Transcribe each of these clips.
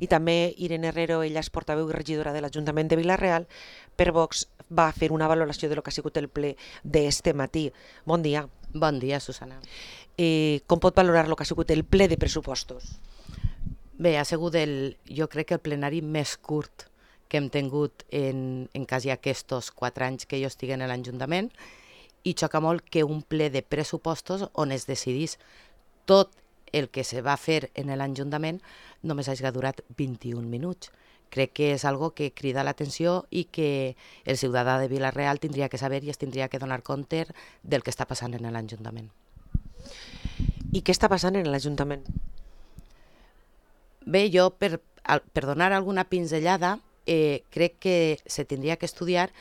i també Irene Herrero, ella és portaveu i regidora de l'Ajuntament de Vila-real, per Vox, va fer una valoració de lo que ha sigut el ple d'este matí. Bon dia. Bon dia, Susana. Com pot valorar lo que ha sigut el ple de pressupostos? Bé, ha sigut jo crec que el plenari més curt que hem tingut en quasi aquests 4 anys que jo estic en l'Ajuntament, i xoca molt que un ple de pressupostos on es decidís tot el que se va fer en l'Ajuntament només hagi durat 21 minuts. Crec que és algo que crida l'atenció i que el ciutadà de Vila-real tindria que saber i es tindria que donar compte del que està passant en l'Ajuntament. I què està passant en l'Ajuntament? Bé, jo, per donar alguna pinzellada, crec que se tindria que estudiar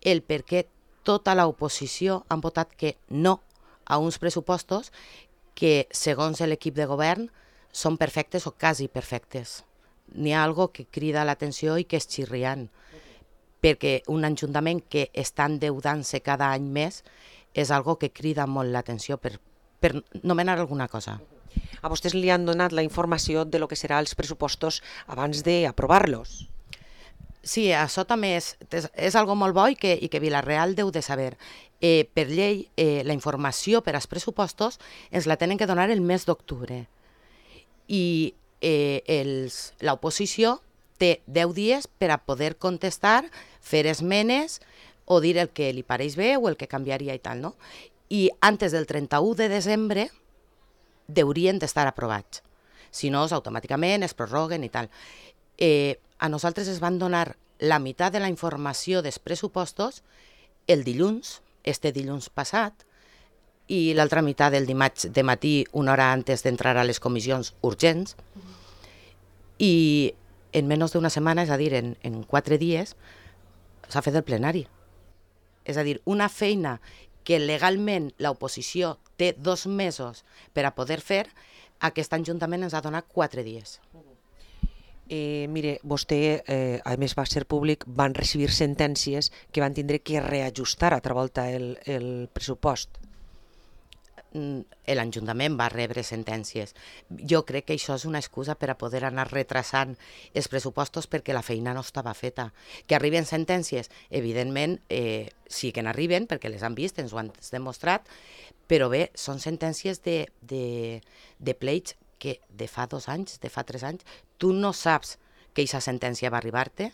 el per què tota l'oposició han votat que no a uns pressupostos que, segons l'equip de govern, són perfectes o quasi perfectes. N'hi ha algo que crida l'atenció i que és xirriant, perquè un ajuntament que està endeudant-se cada any més és algo que crida molt l'atenció per nomenar alguna cosa. A vostès li han donat la informació de lo que serà els pressupostos abans d'aprovar-los? Sí, això també és algo molt bo i que Vila-real deu de saber. Per llei, la informació per als pressupostos ens la tenen que donar el mes d'octubre. I l'oposició té 10 dies per a poder contestar, fer esmenes o dir el que li pareix bé o el que canviaria i tal, no? I antes del 31 de desembre deurien d'estar aprovats. Si no, automàticament es prorroguen i tal. A nosaltres es van donar la meitat de la informació dels pressupostos el dilluns, dilluns passat, i l'altra meitat del dimarts de matí, una hora antes d'entrar a les comissions urgents, i en menys d'una setmana, és a dir, en 4 dies, s'ha fet el plenari. És a dir, una feina que legalment l'oposició té 2 mesos per a poder fer, aquest ajuntament ens ha donat 4 dies. Mire, vostè, a més va ser públic, van recibir sentències que van tindre que reajustar altra volta el pressupost. L'Ajuntament va rebre sentències. Jo crec que això és una excusa per a poder anar retrasant els pressupostos perquè la feina no estava feta. Que arriben sentències, evidentment, sí que n'arriben, perquè les han vist, ens ho han demostrat, però bé, són sentències de pleits que de fa 2 anys, de fa 3 anys, tu no saps que aquesta sentència va arribar-te.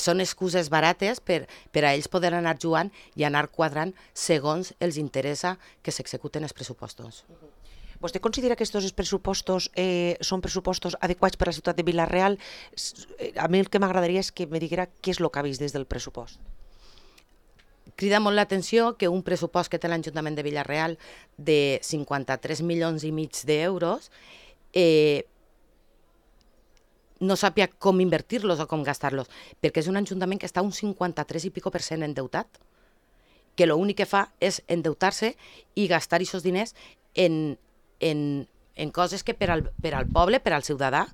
Són excuses barates per a ells poder anar jugant i anar quadrant segons els interessa que s'executen els pressupostos. Vostè considera que aquests pressupostos són pressupostos adequats per a la ciutat de Vila-real? A mi el que m'agradaria és que me diguera què és el que ha vist des del pressupost. Crida molt l'atenció que un pressupost que té l'Ajuntament de Vila-real de 53,5 milions d'euros no sàpia com invertir-los o com gastar-los, perquè és un ajuntament que està un 53 i pico% endeutat, que l'únic que fa és endeutar-se i gastar aquests diners en coses que per al poble, per al ciutadà,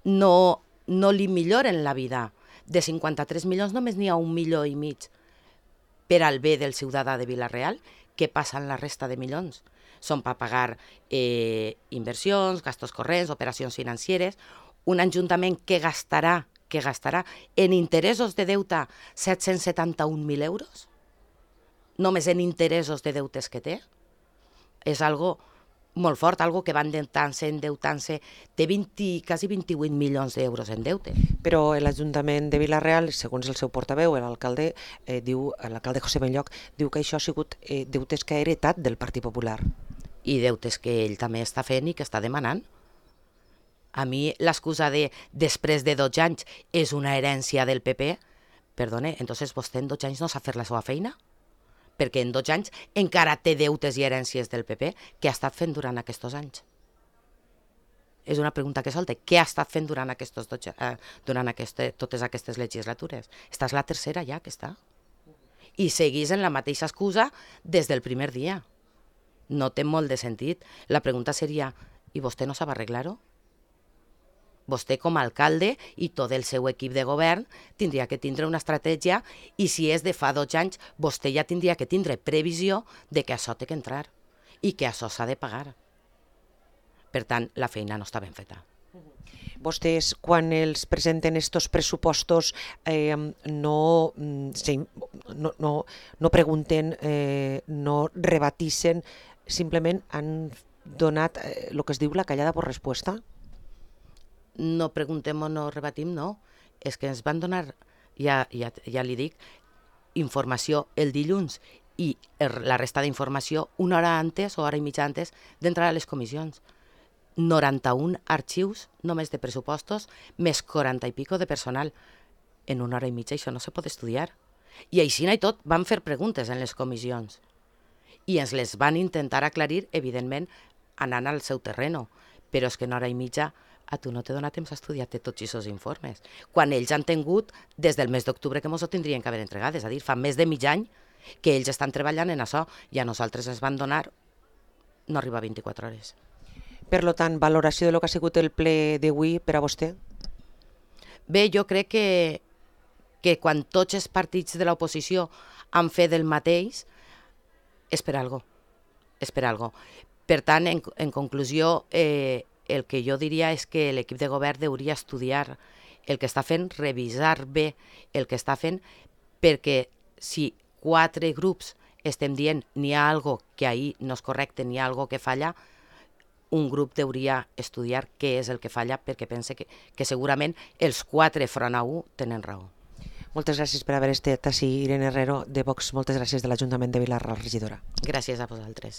no li milloren la vida. De 53 milions només n'hi ha 1,5 milions per al bé del ciutadà de Vila-real. Què passa en la resta de milions? Són per pagar inversions, gastos corrents, operacions financeres. Un ajuntament que gastarà en interessos de deute 771.000 euros, només en interessos de deutes que té, és algo molt fort, algo que va endeutant-se, té quasi 28 milions d'euros en deute. Però l'Ajuntament de Vila-real, segons el seu portaveu, l'alcalde José Benlloch, diu que això ha sigut deutes que ha heretat del Partit Popular. I deutes que ell també està fent i que està demanant. A mi l'excusa de després de 12 anys és una herència del PP, perdone, entonces vostè en 12 anys no sap fer la seva feina? Perquè en 12 anys encara té deutes i herències del PP. Què ha estat fent durant aquests anys? És una pregunta que solta. Què ha estat fent durant totes aquestes legislatures? Esta és la tercera ja que està. I seguís en la mateixa excusa des del primer dia. No té molt de sentit. La pregunta seria, i vostè no sap arreglar-ho? Vostè com a alcalde i tot el seu equip de govern tindria que tindre una estratègia i si és de fa 12 anys, vostè ja tindria que tindre previsió de que això té que entrar i que això s'ha de pagar. Per tant, la feina no està ben feta. Vostès, quan els presenten estos pressupostos, no pregunten, no rebatissen, simplement han donat el que es diu la callada por respuesta? No preguntem o no rebatim, no. És que ens van donar, ja li dic, informació el dilluns i la resta d'informació una hora antes o hora i mitja antes d'entrar a les comissions. 91 arxius només de pressupostos, més 40 i pico de personal. En una hora i mitja això no se pot estudiar. I així i tot van fer preguntes en les comissions. I ens les van intentar aclarir, evidentment, anant al seu terreno. Però és que en hora i mitja a tu no te dona temps a estudiar-te tots aquests informes. Quan ells han tingut, des del mes d'octubre que mos ho tindrien que haver entregat, és a dir, fa més de mig any que ells estan treballant en això i a nosaltres ens van donar no arriba a 24 hores. Per tant, valoració de lo que ha sigut el ple d'avui per a vostè? Bé, jo crec que quan tots els partits de l'oposició han fet el mateix, és per algo. És per algo. Per tant, en conclusió, el que jo diria és que l'equip de govern hauria estudiar el que està fent, revisar bé el que està fent, perquè si 4 grups estem dient n'hi ha algo que ahir no és correcte, n'hi ha algo que falla, un grup hauria estudiar què és el que falla, perquè pense que segurament els 4 front a 1 tenen raó. Moltes gràcies per haver estat així, Irene Herrero, de Vox. Moltes gràcies de l'Ajuntament de Vilar, la regidora. Gràcies a vosaltres.